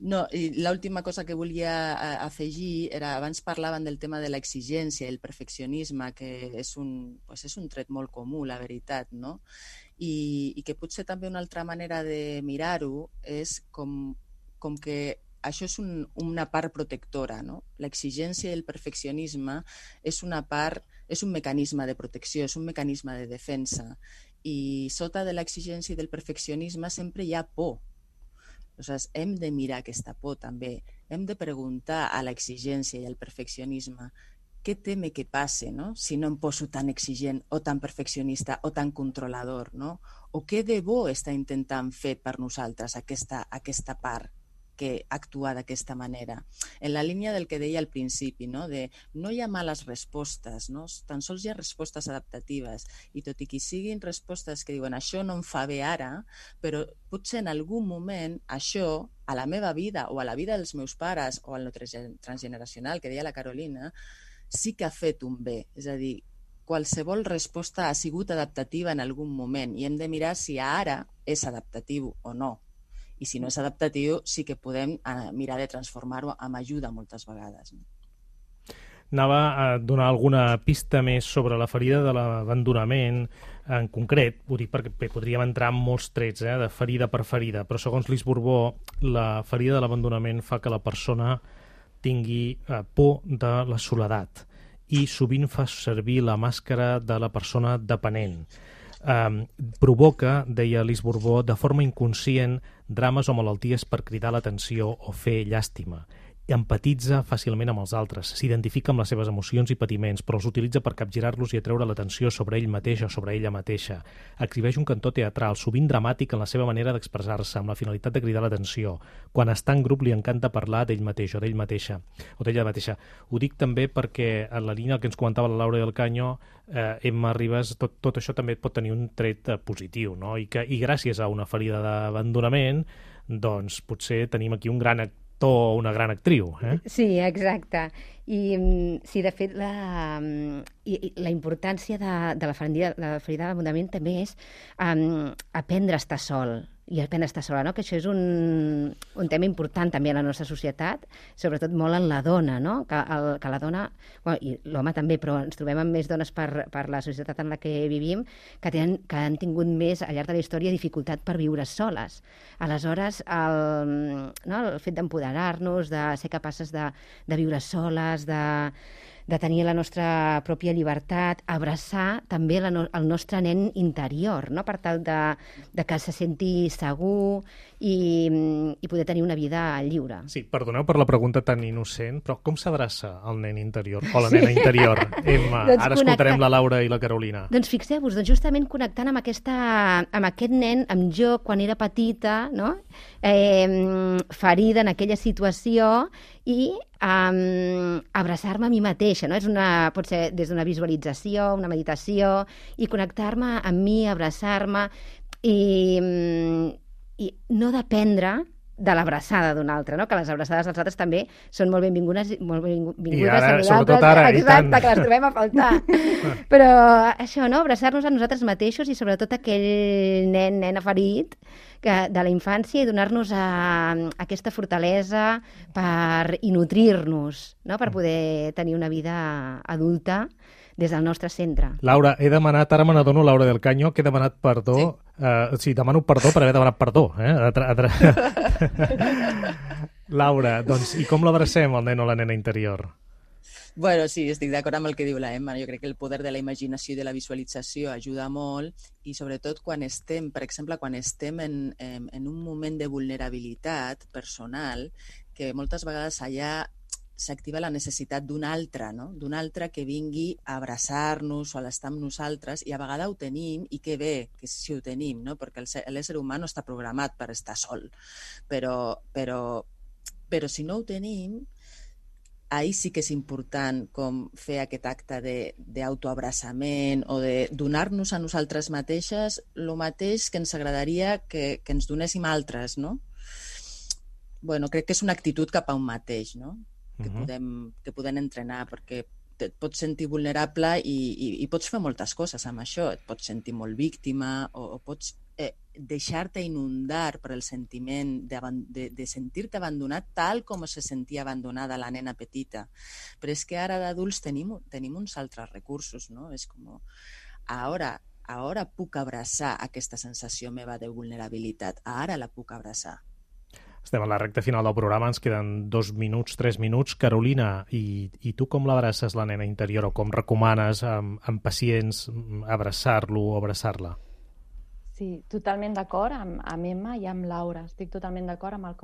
No, i l'última cosa que volia afegir era, abans parlaven del tema de l'exigència i el perfeccionisme, que és un tret molt comú, la veritat, no? I que potser també una altra manera de mirar-ho és com que això és una part protectora, no? L'exigència i el perfeccionisme és un mecanisme de protecció, és un mecanisme de defensa. I sota de l'exigència i del perfeccionisme sempre hi ha por. Aleshores, hem de mirar aquesta por també. Hem de preguntar a l'exigència i al perfeccionisme què teme que passe, no? Si no em poso tan exigent o tan perfeccionista o tan controlador, no? O què de bo està intentant fer per nosaltres aquesta part que actua d'aquesta manera. En la línia del que deia al principi, no? De no hi ha males respostes, no? Tan sols hi ha respostes adaptatives, i tot i que siguin respostes que diuen això no em fa bé ara, però potser en algun moment això, a la meva vida o a la vida dels meus pares o al transgeneracional, que deia la Carolina, sí que ha fet un bé. És a dir, qualsevol resposta ha sigut adaptativa en algun moment i hem de mirar si ara és adaptatiu o no. I si no és adaptatiu, sí que podem mirar de transformar-ho amb ajuda moltes vegades. Anava a donar alguna pista més sobre la ferida de l'abandonament en concret, ho dic perquè podríem entrar en molts trets de ferida per ferida, però segons Lise Borbó, la ferida de l'abandonament fa que la persona tingui por de la soledat i sovint fa servir la màscara de la persona dependent. Provoca, deia Lise Borbó, de forma inconscient drames o malalties per cridar l'atenció o fer llàstima. Empatitza fàcilment amb els altres, s'identifica amb les seves emocions i patiments, però els utilitza per capgirar-los i atreure l'atenció sobre ell mateix o sobre ella mateixa. Exhibeix un cantó teatral, sovint dramàtic en la seva manera d'expressar-se, amb la finalitat de cridar l'atenció. Quan està en grup li encanta parlar d'ell mateix o d'ell mateixa, o d'ella mateixa. Ho dic també perquè en la línia que ens comentava la Laura del Caño, Emma Ribas, tot això també pot tenir un tret positiu, no? I gràcies a una ferida d'abandonament, doncs potser tenim aquí un gran actor o una gran actriu. Sí, exacte. I sí, de fet, la importància de la ferida de l'abandonament també és aprendre a estar sol, i aprendre a estar sola, no? Que això és un tema important també a la nostra societat, sobretot molt en la dona, no? Que la dona, bueno, i l'home també, però ens trobem amb més dones per la societat en la que vivim que han tingut més, al llarg de la història, dificultat per viure soles. Aleshores, el fet d'empoderar-nos, de ser capaces de viure soles, de tenir la nostra pròpia llibertat, abraçar també el nostre nen interior, no? Per tal de que se senti segur i poder tenir una vida lliure. Sí, perdoneu per la pregunta tan innocent, però com s'abraça el nen interior o la nena interior? Emma, doncs ara escoltarem la Laura i la Carolina. Doncs fixeu-vos, justament connectant amb aquest nen, amb jo, quan era petita, no? Ferida en aquella situació, i abraçar-me a mi mateixa, no? Pot ser des d'una visualització, una meditació, i connectar-me amb mi, abraçar-me, i no dependre de l'abraçada d'un altre, no? Que les abraçades dels altres també són molt benvingudes, I ara, sobretot ara, exacte, que les trobem a faltar. Però això, no? Abraçar-nos a nosaltres mateixos i sobretot aquell nena ferit de la infància, i donar-nos aquesta fortalesa i nutrir-nos, no? Per poder tenir una vida adulta des del nostre centre. Laura, he demanat, ara me n'adono, Laura del Caño, que he demanat perdó. Sí, demano perdó per haver demanat perdó. Laura, doncs, i com l'abracem, el nen o la nena interior? Bueno, sí, estic d'acord amb el que diu la Emma. Jo crec que el poder de la imaginació i de la visualització ajuda molt, i sobretot quan estem, per exemple, quan estem en un moment de vulnerabilitat personal, que moltes vegades allà s'activa la necessitat d'un altre, no? D'un altre que vingui a abraçar-nos o a l'estar amb nosaltres, i a vegades ho tenim, i que bé que si ho tenim, no? Perquè l'ésser humà no està programat per estar sol. Però si no ho tenim, ahir sí que és important com fer aquest acte d'autoabraçament o de donar-nos a nosaltres mateixes el mateix que ens agradaria que ens donéssim altres, no? Bueno, crec que és una actitud cap a un mateix, no? Que podem entrenar, perquè et pots sentir vulnerable i pots fer moltes coses amb això. Et pots sentir molt víctima o pots deixar-te inundar per el sentiment de sentir-te abandonat tal com se sentia abandonada la nena petita. Però és que ara d'adults tenim uns altres recursos, no? És com, ara puc abraçar aquesta sensació meva de vulnerabilitat, ara la puc abraçar. Estem a la recta final del programa, ens queden 2 minuts, 3 minuts. Carolina, i tu com l'abraces, la nena interior, o com recomanes amb pacients abraçar-lo o abraçar-la? Sí, totalment d'acord amb Emma i amb Laura. Estic totalment d'acord amb el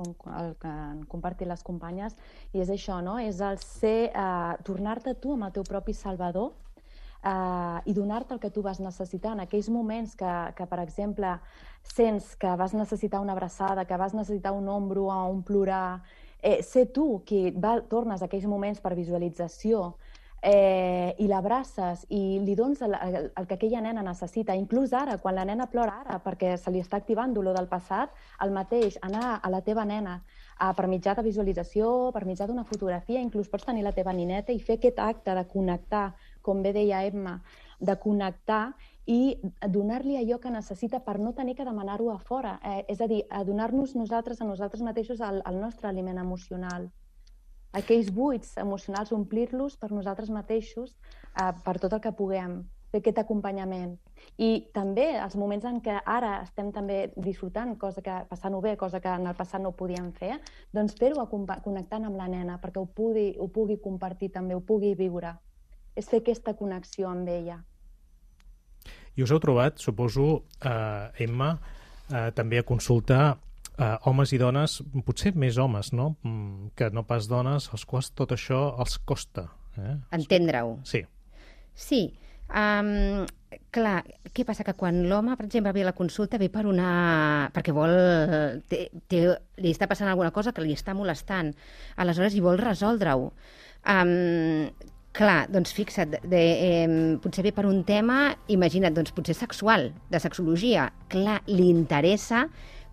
que han compartit les companyes, i és això, no? És el ser, tornar-te tu amb el teu propi salvador, i donar-te el que tu vas necessitar en aquells moments que, per exemple, sents que vas necessitar una abraçada, que vas necessitar un ombro o un plorar. Ser tu qui tornes a aquells moments per visualització i l'abraces i li dones el que aquella nena necessita. Inclús ara, quan la nena plora ara perquè se li està activant dolor del passat, el mateix, anar a la teva nena per mitjà de visualització, per mitjà d'una fotografia, inclús pots tenir la teva nineta i fer aquest acte de connectar, com bé deia Emma, de connectar i donar-li allò que necessita per no tenir que demanar-ho a fora. És a dir, a donar-nos a nosaltres mateixos el nostre aliment emocional. Aquells buits emocionals, omplir-los per nosaltres mateixos, per tot el que puguem, fer aquest acompanyament. I també els moments en què ara estem també disfrutant, passant-ho bé, cosa que en el passat no ho podíem fer, doncs fer-ho connectant amb la nena, perquè ho pugui compartir també, ho pugui viure. És fer aquesta connexió amb ella. I us heu trobat, suposo, Emma, també a consulta homes i dones, potser més homes, no? Que no pas dones, als quals tot això els costa. Entendre-ho. Sí. Sí. Clar, què passa? Que quan l'home, per exemple, ve a la consulta, ve perquè li està passant alguna cosa que li està molestant. Aleshores, i vol resoldre-ho. Clar, doncs fixa't, potser ve per un tema, imagina't, doncs potser sexual, de sexologia. Clar, li interessa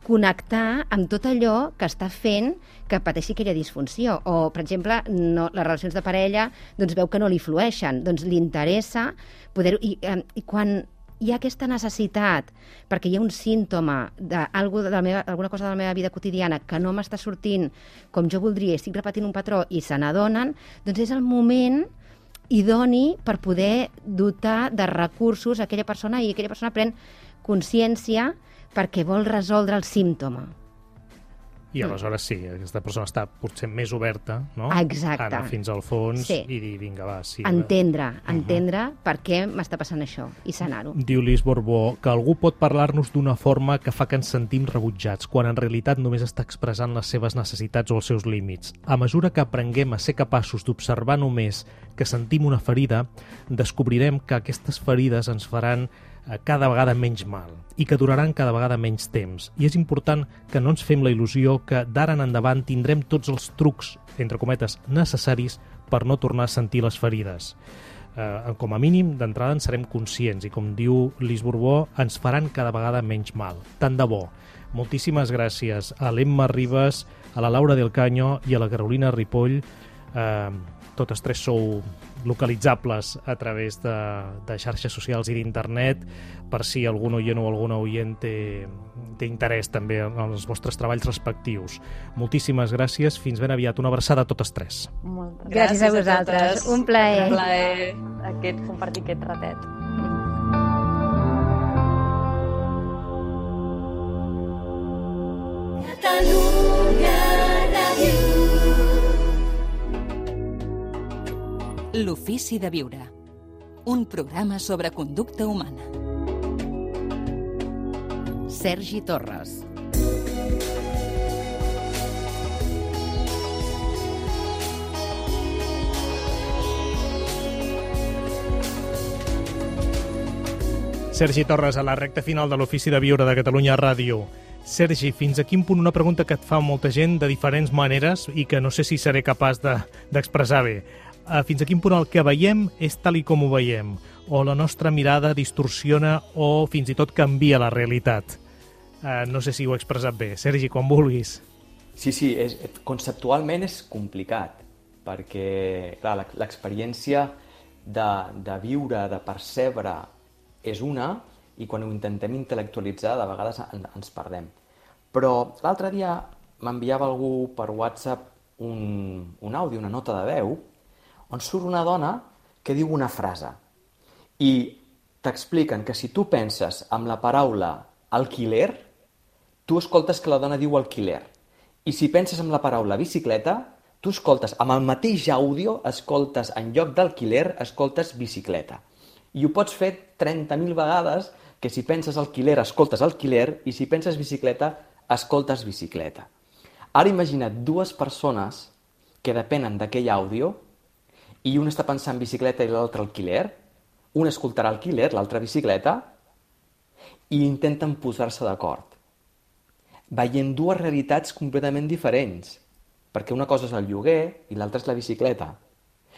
connectar amb tot allò que està fent que pateixi aquella disfunció. O, per exemple, les relacions de parella doncs veu que no li flueixen, doncs li interessa poder-ho... I quan hi ha aquesta necessitat, perquè hi ha un símptoma d'alguna cosa de la meva vida quotidiana que no m'està sortint com jo voldria, estic repetint un patró i se n'adonen, doncs és el moment idoni per poder dotar de recursos a aquella persona i aquella persona pren consciència perquè vol resoldre el símptoma. I aleshores sí, aquesta persona està potser més oberta, no? Exacte. Anar fins al fons i dir, vinga, va, sí. Entendre per què m'està passant això i sanar-ho. Diu Lis Borbó que algú pot parlar-nos d'una forma que fa que ens sentim rebutjats, quan en realitat només està expressant les seves necessitats o els seus límits. A mesura que aprenguem a ser capaços d'observar només que sentim una ferida, descobrirem que aquestes ferides ens faran cada vegada menys mal i que duraran cada vegada menys temps. I és important que no ens fem la il·lusió que d'ara en endavant tindrem tots els trucs, entre cometes, necessaris per no tornar a sentir les ferides. Com a mínim, d'entrada en serem conscients i, com diu Lis Borbó, ens faran cada vegada menys mal. Tant de bo. Moltíssimes gràcies a l'Emma Ribas, a la Laura del Caño i a la Carolina Ripoll. Totes tres sou localitzables a través de xarxes socials i d'internet, per si algun oient o alguna oient té interès també en els vostres treballs respectius. Moltíssimes gràcies, fins ben aviat. Una abraçada a totes tres. Gràcies a vosaltres. Un plaer. Un plaer compartir aquest ratet. Catalunya Ràdio. L'ofici de viure. Un programa sobre conducta humana. Sergi Torres. Sergi Torres, a la recta final de l'Ofici de Viure de Catalunya Ràdio. Sergi, fins a quin punt, una pregunta que et fa molta gent de diferents maneres i que no sé si seré capaç d'expressar bé. Fins a quin punt el que veiem és tal i com ho veiem, o la nostra mirada distorsiona o fins i tot canvia la realitat. No sé si ho he expressat bé. Sergi, quan vulguis. Sí, conceptualment és complicat, perquè clar, l'experiència de viure, de percebre, és una, i quan ho intentem intel·lectualitzar, de vegades ens perdem. Però l'altre dia m'enviava algú per WhatsApp un àudio, una nota de veu, on surt una dona que diu una frase i t'expliquen que si tu penses amb la paraula alquiler, tu escoltes que la dona diu alquiler. I si penses amb la paraula bicicleta, tu escoltes, amb el mateix àudio, escoltes en lloc d'alquiler, escoltes bicicleta. I ho pots fer 30.000 vegades, que si penses alquiler, escoltes alquiler, i si penses bicicleta, escoltes bicicleta. Ara imagina't dues persones que depenen d'aquell àudio i un està pensant bicicleta i l'altre alquiler, un escoltarà alquiler, l'altre bicicleta, i intenten posar-se d'acord. Veient dues realitats completament diferents, perquè una cosa és el lloguer i l'altra és la bicicleta.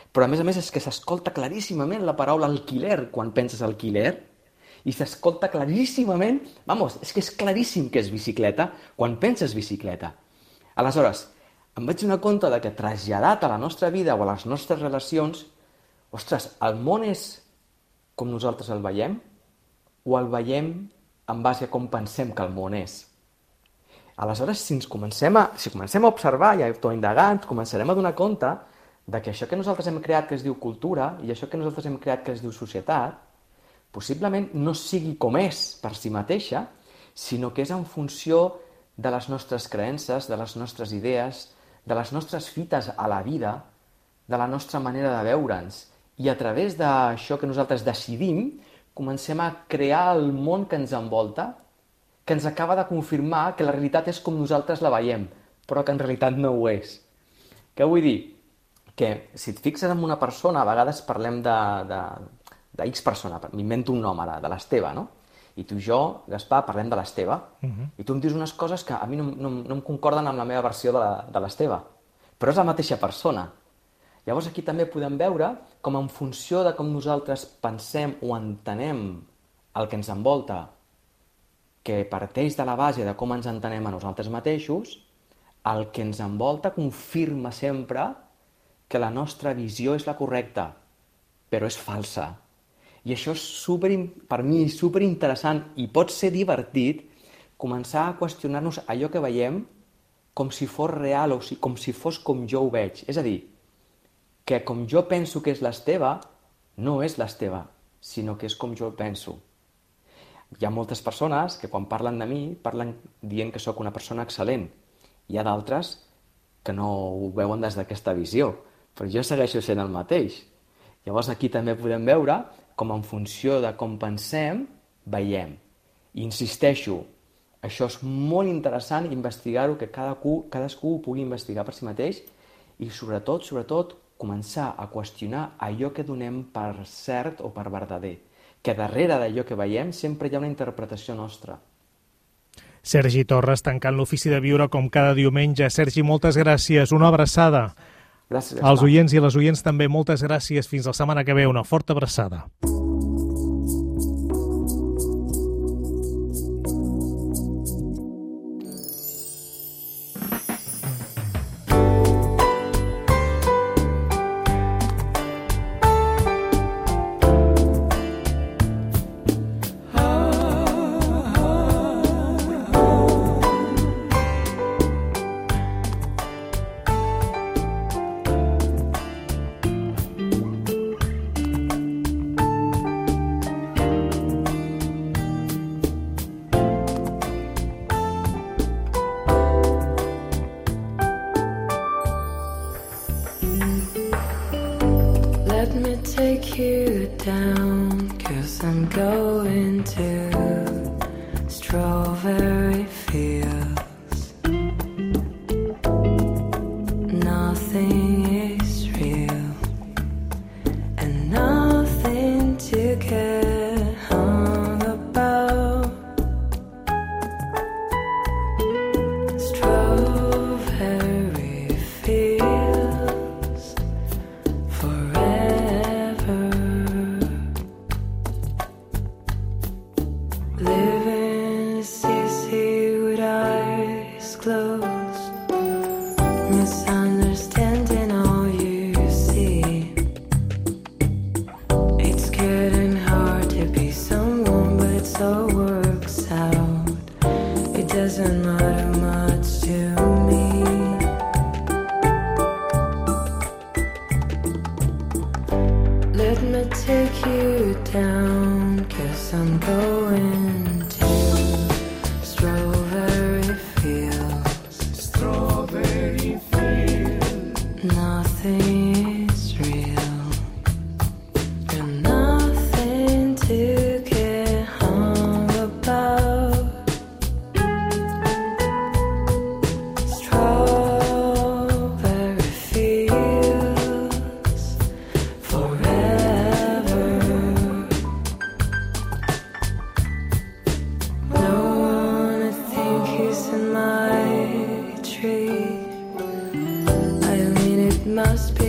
Però a més és que s'escolta claríssimament la paraula alquiler quan penses alquiler, i s'escolta claríssimament, és que és claríssim que és bicicleta quan penses bicicleta. Aleshores, em vaig donar compte que traslladat a la nostra vida o a les nostres relacions, ostres, el món és com nosaltres el veiem o el veiem en base a com pensem que el món és? Aleshores, si comencem a observar i a autoindagar, ens començarem a donar compte que això que nosaltres hem creat que es diu cultura i això que nosaltres hem creat que es diu societat, possiblement no sigui com és per si mateixa, sinó que és en funció de les nostres creences, de les nostres idees, de les nostres fites a la vida, de la nostra manera de veure'ns. I a través d'això que nosaltres decidim, comencem a crear el món que ens envolta, que ens acaba de confirmar que la realitat és com nosaltres la veiem, però que en realitat no ho és. Què vull dir? Que si et fixes en una persona, a vegades parlem de X persona, m'invento un nom ara, de l'Esteve, no? I tu i jo, Gaspar, parlem de l'Esteve, i tu em dius unes coses que a mi no em concorden amb la meva versió de l'Esteve, però és la mateixa persona. Llavors aquí també podem veure com en funció de com nosaltres pensem o entenem el que ens envolta, que parteix de la base de com ens entenem a nosaltres mateixos, el que ens envolta confirma sempre que la nostra visió és la correcta, però és falsa. I això és per mi superinteressant i pot ser divertit començar a qüestionar-nos allò que veiem com si fos real o com si fos com jo ho veig. És a dir, que com jo penso que és l'Esteve, no és l'Esteve, sinó que és com jo penso. Hi ha moltes persones que quan parlen de mi parlen dient que sóc una persona excel·lent. Hi ha d'altres que no ho veuen des d'aquesta visió, però jo segueixo sent el mateix. Llavors aquí també podem veure com en funció de com pensem, veiem. I insisteixo, això és molt interessant investigar-ho, que cadascú ho pugui investigar per si mateix i sobretot, començar a qüestionar allò que donem per cert o per verdader. Que darrere d'allò que veiem sempre hi ha una interpretació nostra. Sergi Torres, tancant l'ofici de viure com cada diumenge. Sergi, moltes gràcies. Una abraçada. Gràcies. Als oients i les oients també, moltes gràcies. Fins la setmana que ve. Una forta abraçada. Must be